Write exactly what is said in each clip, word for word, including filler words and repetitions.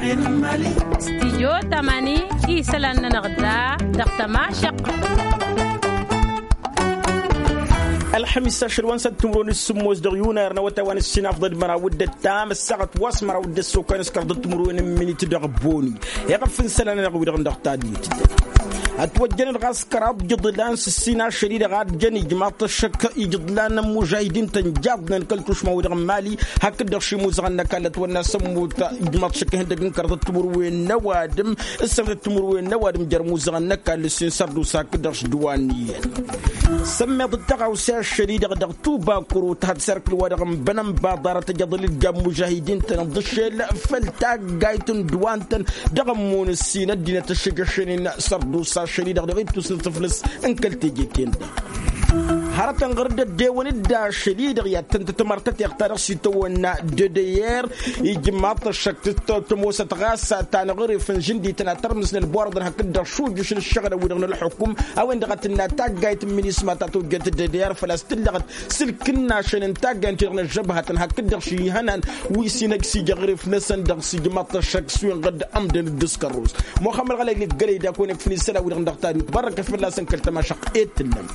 Stijyo tamani isălan-nănăɣ da dăɣ-tămašăq. Ălxămis ašăl wa n-săt timǝrwen s-sǝmmos dăɣ-yunar n-awătay wa n-ǝssin afḍăd măraw d-ăttam ăssaɣăt wa s-măraw d-ăssokkan s-kărdăt timǝrwen n-minit dăɣ-boni. Iɣăf n-isălan-nănăɣ wi-dăɣ dăɣ-tadit. Ătwăjjănăt ɣas kăraḍ iḍlan s-ǝssin ašăl-i-dăɣ a ăjjăn ijmaḍ-t ăššăk ijḍlan n-imužahidin-tăn jaḍnen kăl-tušma-wi-dăɣ n-mali hakd-dăɣ šimuzăɣăn n-ăkall ătwănna s-ămmut ijmaḍ-t ăššăk ihăndăg n-kăraḍăt timǝrwen n-ăwadǝm. S-sănătăt timǝrwen n-ăwadǝm jer-imuzăɣăn n-ăkall ǝssin sărdusa hakd-dăɣ s-dăwan iyyăn. Sămmeḍ d-tăɣawse ašăl-i-dăɣ dăɣ-tubakuru tăhăt s-erk ǝlwa-dăɣ n-bănănba ḍarăt ăjăḍăl-dd ja n-imužahidin-tăn ǝḍǝšel făll-taggayt n-dăwan-tăn dăɣ-ămmun ǝssin ăddinăt ăššăjăšăn-in sărdusa ašăl-i-dăɣ dăɣ-ittus n-tǝflǝs n-kăl-teje-ten-dăɣ. Hărătăn ɣur-dd ăddewăn-dd ašăl-i-dăɣ i-ad-tăn-tătmăr tăteɣt ta dăɣ-s itawănna d-d-e-r ijmaḍ-t ăššăk tămosăt ɣas ta n-aɣrǝf n-žǝndităn ad-tărmǝsnăl borăḍăn hakd-dăɣ šujǝš n-ǝššăɣǝlăn-wi-dăɣ n-ălxukum a-wen-dăɣ a tǝnna taggayt n-minisma ta tojjăt d-e-r făl-a-s tǝllăɣăt s-ǝlkǝnnašăn n-taggayt-ti-dăɣ n-ăžžăbhătăn hakd-dăɣ šihănan wi s-inăgg s-ija aɣrǝf-năsăn dăɣ-s ijmaḍ-t ăššăk s-wen ɣǝd ămdăn d-ǝskărrus. Muxămmăd ɣălăy n-ǝggălăy d-akăwăn-ikfǝn isălan-wi-dăɣ n-dăɣ-tadut bărrăkăt fălla-săn kăl-tămašăq. E-d tǝnnăm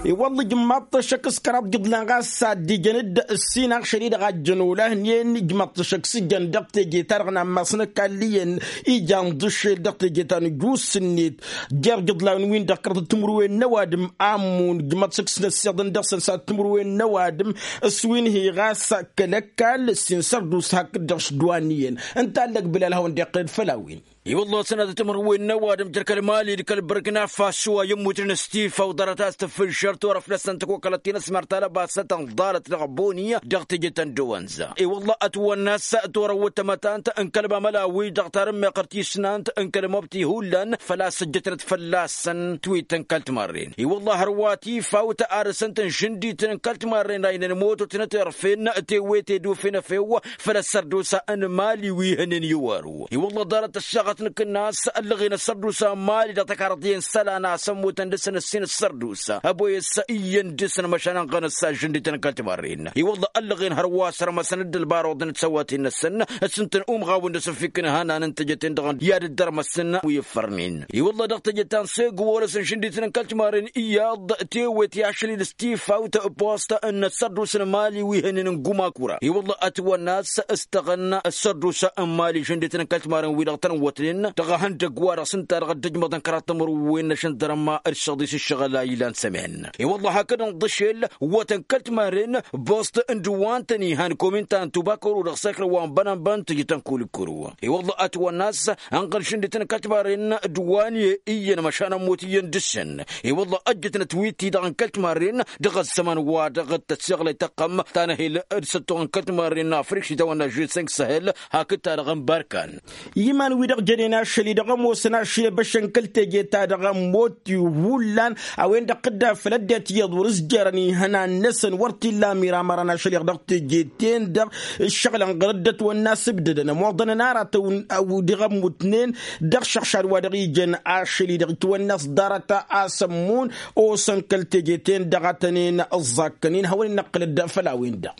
i-wălla ijmaḍ-t ăššăk s-kăraḍ iḍlan ɣas ad-dd-ijăn-dd ǝssin aɣšăl-i-dăɣ a ǝjjăn olăhnen ijmaḍ-t ăššăk s-ijăn dăɣ-teje-ta-dăɣ n-ammas n-ăkall iyyăn ijan d-ašel dăɣ-teje ta n-ǝjus-net jer-iḍlan-win-dăɣ kăraḍăt timǝrwen n-ăwadǝm. Amun ijmaḍ-t ăššăk s-năssiḍăn dăɣ-săn s-ad-timǝrwen n-ăwadǝm s-wi n-hi ɣas kăl-ăkall ǝssin sărdusa hakd-dăɣ s-dd-wa n-iyyăn. Ǝnta a ǝllăg bǝlal hawăn-dd-iqqed făll-a-wen. I-wălla-s ănadăt timǝrwen n-ăwadǝm jer-kăl-mali d-kăl-bărkna fasso a i-ămmutnen s-tifaw ḍarăt a-s tǝfǝžžăr turăft-năsăn tăkokălăt-ti n-ăsmăr talăbasăt n-ḍalăt dăɣ-boni dăɣ-teje ta n-dăwănza. I-wălla-s ătwănna-s turăwwăt tamătant n-kăl-mamăla-wi-dăɣ tarǝmmeɣ ɣur-tisnant n-kăl-mobti hullan făl-a-s ăjjătnăt fălla-săn twit n-kăl-timarren. I-wălla-s hărwa tifawt a dăr-săn tǝnžǝndit n-kăl-timarren a inăn mototnăt irfen tewete d-ufen efew făll-ăssărdusa n-mali wi hănen i-wăru. I-wălla-s ḍarăt ăššăɣăt n-kǝnnas ăllăɣen ăssărdusa n-mali dăɣ-tăkarăḍ iyyăn isălan a-s ămmutăn dăr-săn ǝssin ăssărdusa ăboyăs iyyăn dăr-săn măšan ănɣăn ăssajjăn d-ităn n-kăl-timarren. I-wălla-s ăllăɣen hărwa sărmăsăn-dd ălbarăwăḍ n-tisăwaten-năsăn s-ǝntăn umɣawăn d-asǝfik n-ihănan n-teje-ten-dăɣ i-ad-dd-ărmăsăn wi ǝffărnen. I-wălla-s dăɣ-teje ta n-segu wăr-ăsǝnšǝndităn n-kăl-timarren iyyăḍ tewet i-ašăl-i d-s tifawt post n-ăssărdusa n-mali wi hănen n-gumakura. I-wălla-s ătwănna a-s ǝstăɣăn ăssărdusa n-mali žăndităn n-kăl-timarren-wi-dăɣ tăn-ǝwwătnen dăɣ-ehăndăgg-wa-dăɣ s-ǝnta-dăɣ dd-ǝjmăḍăn kăraḍ timǝrwen n-ašăndărămma d-săḍis ǝššăɣǝl a ilan sămen. I-wălla-s hakd ǝnḍǝšel ǝwwătăn kăl-timarren bost n-dăwantăn ihan komintan tubakăru dăɣ-săkr wa n-bănănbăn tǝjǝtăn kul-ǝkkǝru. I-wălla-s ătwănna a-s ănɣăl žăndităn kăl-timarren dăwanye iyyăn măšan ămmut iyyăn dăr-săn. I-wălla-s ăjjătnăt wi t-i-dăɣ n-kăl-timarren dăɣ-ăzzăman wa dăɣ-tăssiɣlăy tăqqăm ta n-ehel d-săttoɣ n-kăl-timarren n-afrik s-itawănna žunsănk săhel hakd-ta-dăɣ n-barkan. I-iman-wi-dăɣ jănen ašăl-i-dăɣ ămoosăn ašăl i-băšăn kăl-teje-ta-dăɣ ămmut hullan a-wen-dăɣ tǝdda făll-ăddinăt iyyăḍ wăr-s jărăn ihănan-năsăn wăr t-illa amiramărăn ašăl-i-dăɣ teje-ten-dăɣ. Ǝššăɣǝlăn ɣărăt-dăt wănna s-ǝbdădăn ămoḍănăn aratăn a-wa dăɣ-ămmutnen dăɣ-išăɣšad wa dăɣ-ijăn ašăl-i-dăɣ itwănna-s ḍarăt a-s ămmun osăn kăl-teje-ten-dăɣ a tăn-en ǝẓẓakkăn-in hawăn-in-năqqǝlăd făll-a-wen-dăɣ.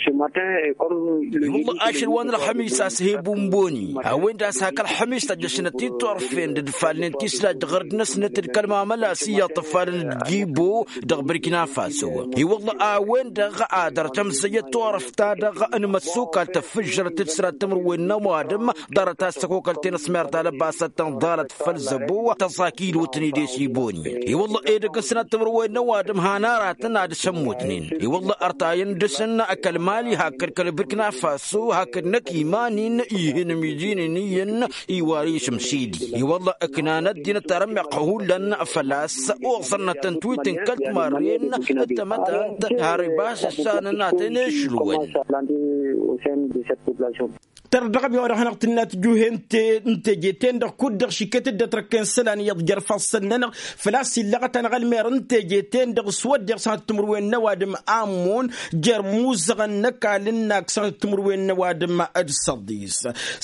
I-wălla ašăl wa n-ălxămis a-s he-bunboni a-wen-dăɣ a-s hak ălxămis tăjjăšnăt-dd turfen d-ǝdfalnen tislajt ɣărd-năsnăt d-kăl-mamăla s-iyyăḍ tǝfalăn d-gibo dăɣ-bărkina faso. I-wălla a-wen-dăɣ a dăr-tămzăyyăt turăft-ta-dăɣ n-imăssukal tăffǝžžărăt d-sănat timǝrwen n-ăwadǝm ḍarăt a-s tăkokălten ăsmer talăbasăt tăn-ḍalăt făll-zăbo tăẓakilotnen d-esiboni. I-wălla edăgg n-sănat timǝrwen n-ăwadǝm han aratăn ad-sămmutnen. I-wălla ărtayăn dăr-săn kăl-mali hakd kăl-bărkina faso hakd năkk iman-in ihǝnmǝjinen iyyăn iwar isǝmsidi. I-wălla ǝknan ăddinăt tarămmeɣt hullan făl-a-s oẓărnăt n-twit n-kăl-timarren d-tamătant har ibas ǝssanăn ad-tăn-ešǝlwăn. Tărdăɣăm i-wa-dăɣ hanăɣ-tǝnna tǝjuhe n-teje-ten-dăɣ kud-dăɣ šikket-dd ătrăkken isălan iyyăḍ jer-ifassăn-nănăɣ. Făl-a-s illăɣăt-anăɣ ălmer n-teje-ten-dăɣ s-wădden s-hanăt-timǝrwen n-ăwadǝm ammon jer-imuzăɣăn n-ăkall n-ak s-hanăt-timǝrwen n-ăwadǝm d-săḍis.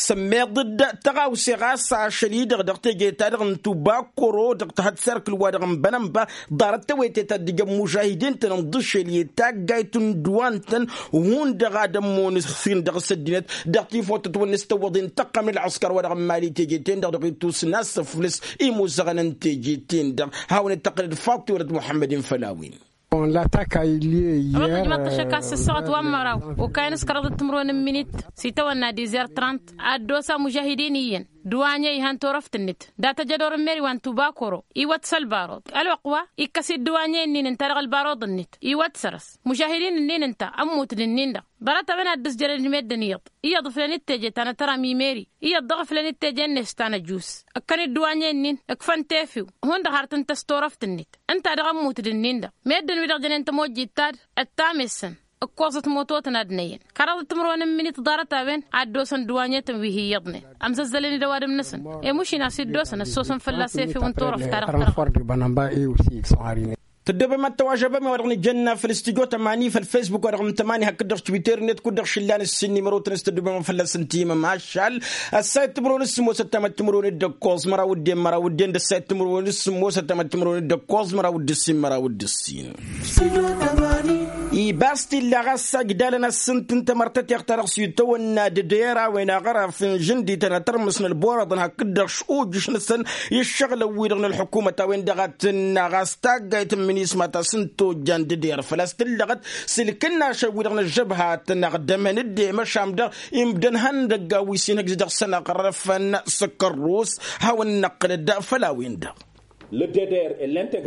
Sămmeḍ-dd tăɣawse ɣas ašăl-i-dăɣ dăɣ-teje-ta-dăɣ n-tubakoro dăɣ-tahăt s-erk ǝlwa-dăɣ n-bănănba. Ḍarăt tewăyte ta dd-ijăn mužahidin-tăn ǝnḍǝšel i-taggayt n-ǝdduwan-tăn hundăɣ ad-ămmun s-hin-dăɣ s-ăddinăt dăɣ-tifawt tătwănna s-tăwwăḍen tăqqăm n-ălɣăskăr-wa-dăɣ n-imali teje-ten-dăɣ dăɣ-itusǝn a-s ăflǝs imuzăɣăn n-teje-ten-dăɣ. Hawăn-dd-tăqqǝlăd faḍt tiwălăt muḥămmăd-in făll-a-wen. Ămăḍ ăjmăḍ-t ăššăk a-s ǝssăɣăt wa n-măraw okayăn s-kăraḍăt timǝrwen n-minit s-itawănna dizer trant ad-dd-osa mužahidin iyyăn. Dăwanye ihan turăft-net dat-ăjădor n-meriwan tubakoro iwăt s-ălbaruḍ ălwăqq wa ikkăs-dd dăwanye-nin ǝnta dăɣ-ălbaruḍ-net iwăt săr-s. Mužahidin-nin ǝnta ămmut d-ǝnnin-dăɣ ḍarăt-a-wen ad-dd-ǝzjălăn d-meddǝn iyyăḍ iyyăḍ ǝflăn-dd teje ta n-atăram i-meri iyyăḍ dăɣ-ǝflăn-dd teje-net ta n-ăjus. Ǝkkăn-dd dăwanye-nin ǝkfăn tefiw hundăɣ har tǝntăs turăft-net ǝnta dăɣ-ămmut d-ǝnnin-dăɣ meddǝn wi-dăɣ jănen tămojjit ta d-ăttamessăn ǝkkoẓăt mototăn ad-năyyăn. Kăraḍăt timǝrwen n-minit ḍarăt-a-wen ad-dd-osăn dăwanye-tăn wi hi-iyyăḍnen ămzăzzălăn-dd ăwadǝm-năsăn. I-mušin a-s dd-osăn ăssoosăn fălla-s efew n-turăft ta dăɣ-tărăɣ. Tăddobem ad-tăwažăbăm i-wa-dăɣ nǝjănna făll-studyo tămani făll-facebook wa-dăɣ n-tămani hakd-dăɣ twitter-net kud-dăɣ šǝllan ǝssin n-imărotăn s-tăddobem fălla-s n-timǝmašal. Ăssayăt timǝrwen s-sǝmmosăt tamăt timǝrwen d-ǝkkoẓ măraw d-en măraw d-en d-ăssayăt timǝrwen s-sǝmmosăt tamăt timǝrwen d-ǝkkoẓ măraw d-ǝssin măraw d-ǝssin. Ibas t-illa ɣas ajdalăn a-s ǝnta n-tamărtăteɣt-ta-dăɣ s-itawănna d-eder a-wen aɣăraf n-žǝndităn ad-tărmǝsnăl borăḍăn hakd-dăɣ šujǝš-năsăn i-ǝššăɣǝlăn-wi-dăɣ n-ălḥukumăt a-wen-dăɣ a tǝnna ɣas taggayt n-minisma ta s-ǝnta ojjan d-eder făl-a-s tǝllăɣăt s-ǝlkǝnnašăn-wi-dăɣ n-ăžžăbhat n-aɣdămăn d-emăšam-dăɣ imdăn han n-ăgg-a-wi s-inhǝjj dăɣ-săn aɣrăfăn s-kărrus. Hawăn-năqqǝlăd făll-a-wen-dăɣ.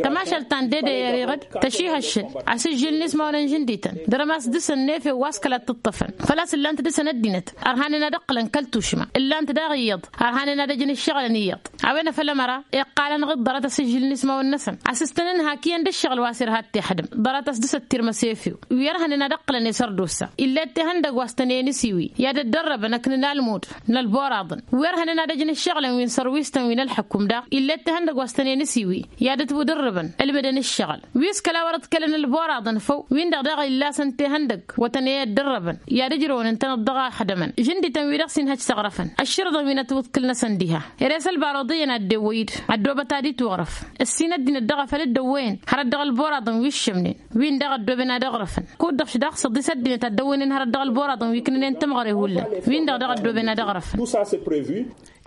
Tămašalt ta n-dede i-eriɣăd tăšihăššǝn asǝžžǝl n-ismawăn n-žǝndităn dăr-ămas dăr-săn n-efew wa s-kăla t-ǝṭṭăfăn. Făl-a-s ǝllan-t dăr-săn ăddinăt ărhanen ad-ǝqqǝlăn kăl-tušma ǝllan-t daɣ iyyăḍ ărhanen ad-ăjǝn ǝššăɣǝlăn iyyăḍ. A-wen a făl ămăra iqqal-anăɣ-dd ḍarăt asǝžžǝl n-ismawăn-năsăn a-s s-tăn-ǝnhak iyyăn d-ǝššăɣǝl wa s-irha d-tihădǝm. Ḍarăt a-s dăr-s ăttirmăs efew wi ărhănen ad-ăqqǝlăn i-sărdusa. Ill'-e d-tihăndăgg wa s-tăn-e-nǝsiwi i-ad-ăddărrăbăn ăknǝn almud n-ălboraḍăn wi ărhănen ad-ăjǝn ǝššăɣǝlăn wi n-sărwistăn wi n-ălḥăkum daɣ ill'-e d-tihăndăgg wa s-tăn-e-nǝsiwi i-ad-ătwǝdǝrrǝbăn ǝlmǝdăn ǝššăɣǝl. Wi s-kăla wăr-ăḍkălăn ălboraḍăn făw-win-dăɣ daɣ illa a-s ǝnta ihăndăgg wa tăn-e-ăddărrăbăn i-ad-ǝjrăwăn ǝntăneḍ dăɣ-axdămăn žǝndităn-wi-dăɣ s-inhăj s-aɣrăfăn. Ăššărǝḍăn wi n-ătwǝḍkǝl-năsăn diha ere s-ălbaruḍ iyyăn a dd-ewwăy-dd ăddoobăt ad-itwăɣrăf ǝssin ăddinăt dăɣ-afăl dd-ăwwăyăn hărăt dăɣ-ălboraḍăn wi ǝššămnen. Win-dăɣ ăddooben ad-ăɣrăfăn kud-dăɣ šdaɣ săḍis ăddinăt ad-dd-ăwwăynen hărăt dăɣ-ălboraḍăn wi ǝknǝnen tămɣăre hullan. Win-dăɣ daɣ ăddooben ad-ăɣrăfăn.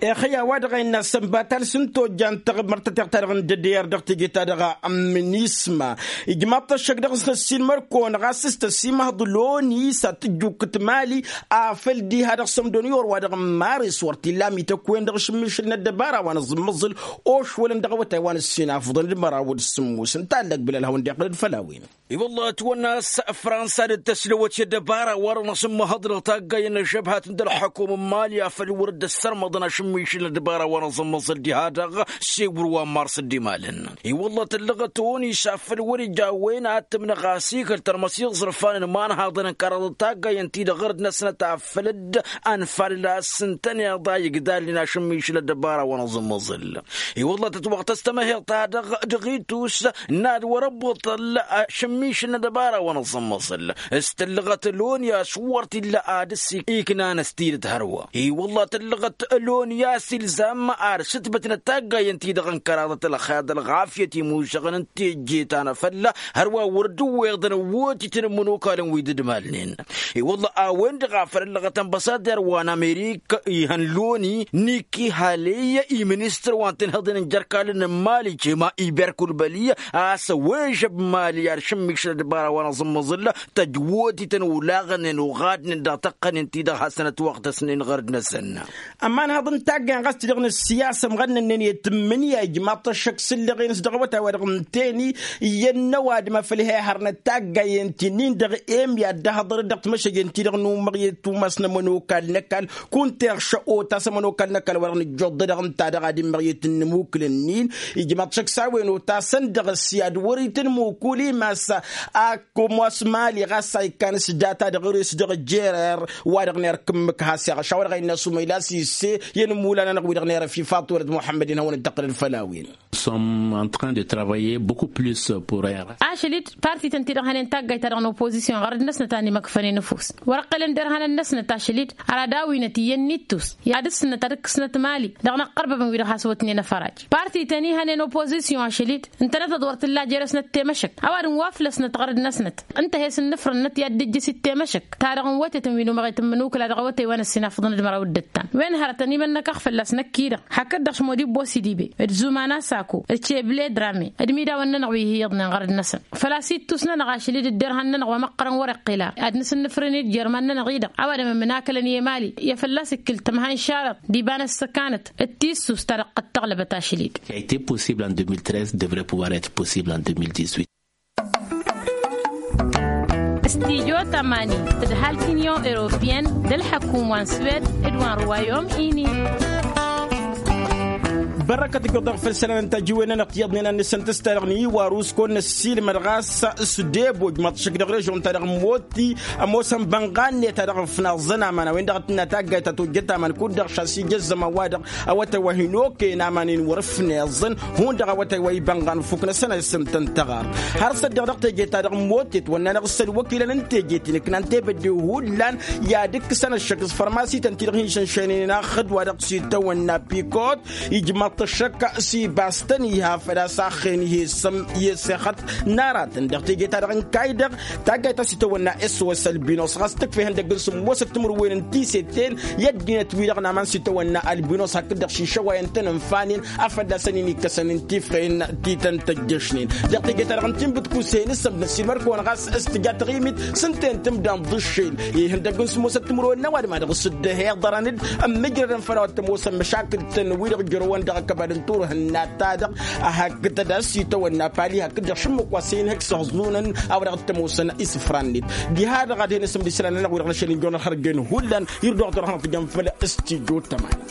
Ixăyya wa dăɣ-a innă sănbatal s-ǝnta ojjan tăɣmărt tăteɣt-ta-dăɣ n-dd-ăddeyăr dăɣ-teje-ta-dăɣ n-minisma. Ijmaḍ-t ăššăk dăɣ-s n-ăssiilmăr-kăwăn ɣas s-tăsimăhḍ loni s-ad-tǝjjukkǝt mali afăl diha dăɣ-sămdon i-orwa-dăɣ n-maris wăr t-illa amităkk-wen-dăɣ ašǝmmišǝl n-ăddăbara wa n-aẓǝmmăẓǝl. Ošwălăn dăɣ-awătay wa n-ǝssin afǝḍăn d-măraw d-sǝmmos n-tallăg bǝlal hawăn-dd-iqqǝlăd făll-a-wen. I-wălla ătwănna a-s fransa dd-tăslăwăt i-ăddăbara wa dăɣ-năsǝmmăhăḍ dăɣ-taggay n-ăžžăbhat d-ălḥăkum n-mali afăl wăr dd-ăssărmăḍăn ašǝmmišǝl n-ăddăbara wa n-aẓǝmmăẓǝl diha-dăɣ. S-ewǝr wa n-mars dd-imalăn i-wălla tǝllăɣăt onis afăl wăr-ija a-wen ad-tǝmnăɣ asikăl tărmăs iẓrǝfan n-imanhaḍăn n-kăraḍăt taggay ǝnta-i-dăɣ ɣărd-năsnăt afăl dd-ănfalăl a-s ǝntăneḍ a igdalnen ašǝmmišǝl n-ăddăbara wa n-aẓǝmmăẓǝl. I-wălla tătwăɣtăs tămăheḍt-ta-dăɣ dăɣ-itus n-ad-wăr-ăbbuṭăl ašǝmmišǝl n-ăddăbara wa n-aẓǝmmăẓǝl s-tǝllăɣăt loni a-s wăr t-illa ad-ăssiknan s-tidǝt hărwa. I-wălla tǝllăɣăt loni a-s ilzam ar sǝtbătnăt taggay ǝnta-i-dăɣ n-kăraḍăt ălxer d-ălɣafyăt imuzăɣăn n-teje ta n-afălla hărwa wăr dd-ǝwweḍăn ăwwotităn n-imănokalăn wi dd-malnen. I-wălla a-wen-dăɣ a făl ăllăɣăt ănbăsader wa n-amerik ihăn loni niki haley i-ministăr wa n-tinhǝḍen n-jerkalăn n-mali cema iberkulbăli a-s ăwežăb mali ad-šǝmmišăl ăddăbara wa n-aẓǝmmăẓǝl tăjwotităn olaɣnen oɣadnen dăɣ-tăqqănen-ti-dăɣ hasăn-ătwăɣtăsnen ɣărd-năsăn. Ămanhăḍ n Taggay ɣas-t-dăɣ n-ăssiyasăm ɣănnănnen i-tǝmmǝnǝya ijmaḍ-t ăššăk s-ǝlleɣ-en s-dăɣ awătay-wa-dăɣ ǝntăyăn iyyăn n-ăwadǝm a făl he-ehărnăt taggayen ti-nin-dăɣ emyad d-ahăḍăr-dd dăɣ-timăšăjen-ti-dăɣ n-umăɣyăt umas n-ămănokal n-ăkall kunta iɣšă otas ămănokal n-ăkall wa-dăɣ nǝjjuḍ-dăɣ ǝnta-dăɣ ad-immăɣyăt n-inǝmukǝlăn-in. Ijmaḍ-t šăkk s-a-wen otasăn dăɣ-s i-ad-wăr-itǝnmukul imas a kămoos mali ɣas a ikkan s-data dăɣ-res dăɣ-jerer wa-dăɣ n-erk ǝmmǝk has-iɣăš a-wa-dăɣ a innă sumăyla s-isse i-inǝmmulan-anăɣ wi-dăɣ n-erăf ifaḍ-t wălăt muḥămmăd-in hawăn-dd-tăqqǝlăd făll-a-wen. Sommes en train de travailler beaucoup plus pour un. Ašăl-dd partităn-ti-dăɣ hănen taggayt-ta-dăɣ n-opozisyon ɣărăd-năsnăt a n-imăkfănen ăfuss wăr-ăqqălăn derhanăn-năsnăt ašăl-dd. Ărad a-winăt iyyăn n-ittus i-ad-ǝssǝnnăt ad-ǝkkǝsnăt mali dăɣ-inăqqărbăbăn wi-dăɣ has-wătnen afăraj. Partităn-i hănen opozisyon ašăl-dd ǝntănăt-dd wăr t-ǝlla jer-esnăt temăšăk ăwadǝm wa făll-esnăt ɣărăd-năsnăt. Ǝnta he-s ǝnnǝfrănnăt i-ad-dd-ǝjjǝs i-temăšăk ta dăɣ-n wătetăn wi n-umăɣet n-imǝnukǝla dăɣ-awătay wa n-ăssinafăḍăn d-măraw d-ǝttan wen hărătăn imănnăkăɣ fălla-s năkk-i-dăɣ hakd-dăɣ šmod ibbo s-idibe d-zuman asako d-ceble drame d-imidawăn-nănăɣ wi hi-iyyăḍnen ɣărăd-năsăn. Făl-a-s ittus-nănăɣ ašăl-dd ǝdderhan-nănăɣ wa măqqărăn wăr-iqqǝl ara ad-nǝsǝnnǝfrǝn-dd jer-iman-nănăɣ-i-dăɣ ăwadǝm ămnakălăn i-emali i-fălla-s ǝkkǝl tămha n-išarăḍ d-iba n-ăssăkanăt d-tissus ta dăɣ-tăɣlăbăt ašăl-dd. Qui a été possible en deux mille treize devrait pouvoir être possible en deux mille dix-huit. Stijo tămani tǝdhal t-inyon europeyăn d-ălḥăkum wa n-swed d-wa n-ruwayom-ini. Bărăkăt ǝjjuḍ-dăɣ făll-isălan n-tajiwen-nănăɣ tiyyăḍnen ad-nǝsǝntǝs-ta-dăɣ n-iwarus kăwăn-năssiilmăd ɣas s-debo ǝjmaḍ-t šăkk dăɣ-režion-ta-dăɣ n-moti ămoosăn bănɣanne-ta-dăɣ ăfnaẓăn aman a-wen-dăɣ a tǝnna taggayt ta tojjăt aman kud-dăɣ šas ija ăzzăman-wa-dăɣ awătay wa hin-okăyăn aman-in wăr-ǝfneẓăn hundăɣ awătay wa ibănɣan ǝffuknăsăn a isǝntăn tăɣar. Har săddeɣ dăɣ-teje-ta-dăɣ n-motet wănn'-anăɣ s-ălwăkilăn n-teje-t-in ǝknan tebădde hullan i-ad-ǝkkǝsăn ăššăk s-fărmasităn-ti-dăɣ hin-šănšăynen axǝd-wa-dăɣ s-itawănna pikot ijmaḍ-t ăššăk s-ibas-tăn iha făl-a-s axen ihi s-ămm i-esexăt n-aratăn dăɣ-teje-ta-dăɣ n-kayy-dăɣ. Taggayt ta s-itawănna s-wăs ălbinos ɣas tǝkfa ihăndăgg n-sǝmmosăt timǝrwen n-tisetel i-ăddinăt-wi-dăɣ n-aman s-itawănna ălbinos hakd-dăɣ šišăwayăn-tăn ǝnfanen a fălla-săn-in-ikkăsăn n-tifɣen ti tăn-tăjjăšnen. Dăɣ-teje-ta-dăɣ n-tinbǝtkuse nǝsǝm d-năssiilmăr-kăwăn ɣas s-tǝja taɣimit s-ǝnta-en tǝmda n-iḍǝššel ihăndăgg n-sǝmmosăt timǝrwen n-ăwadǝm a dăɣ-s dd-ăhiḍărăn-dd ămmǝjrădăn făll-a-wa t-ămoosăn măšakǝl-tăn wi-dăɣ ǝjrăwăn dăɣ-ăkăbad n-turhǝnna-ta-dăɣ. Ahak tădăs itawănna pali hakd-dăɣ šǝmmǝk wa s-e-inhǝk s-iɣẓunăn a-wa dăɣ-t-ămoosăn isǝfra-net. Diha-dăɣ ad-hin-asǝmd isălan-nănăɣ wi-dăɣ n-ašăl n-ijăwăn ălxărjen hullan. Irduɣ-dăɣ hanăɣ-tǝjăm făll-stujo tămani.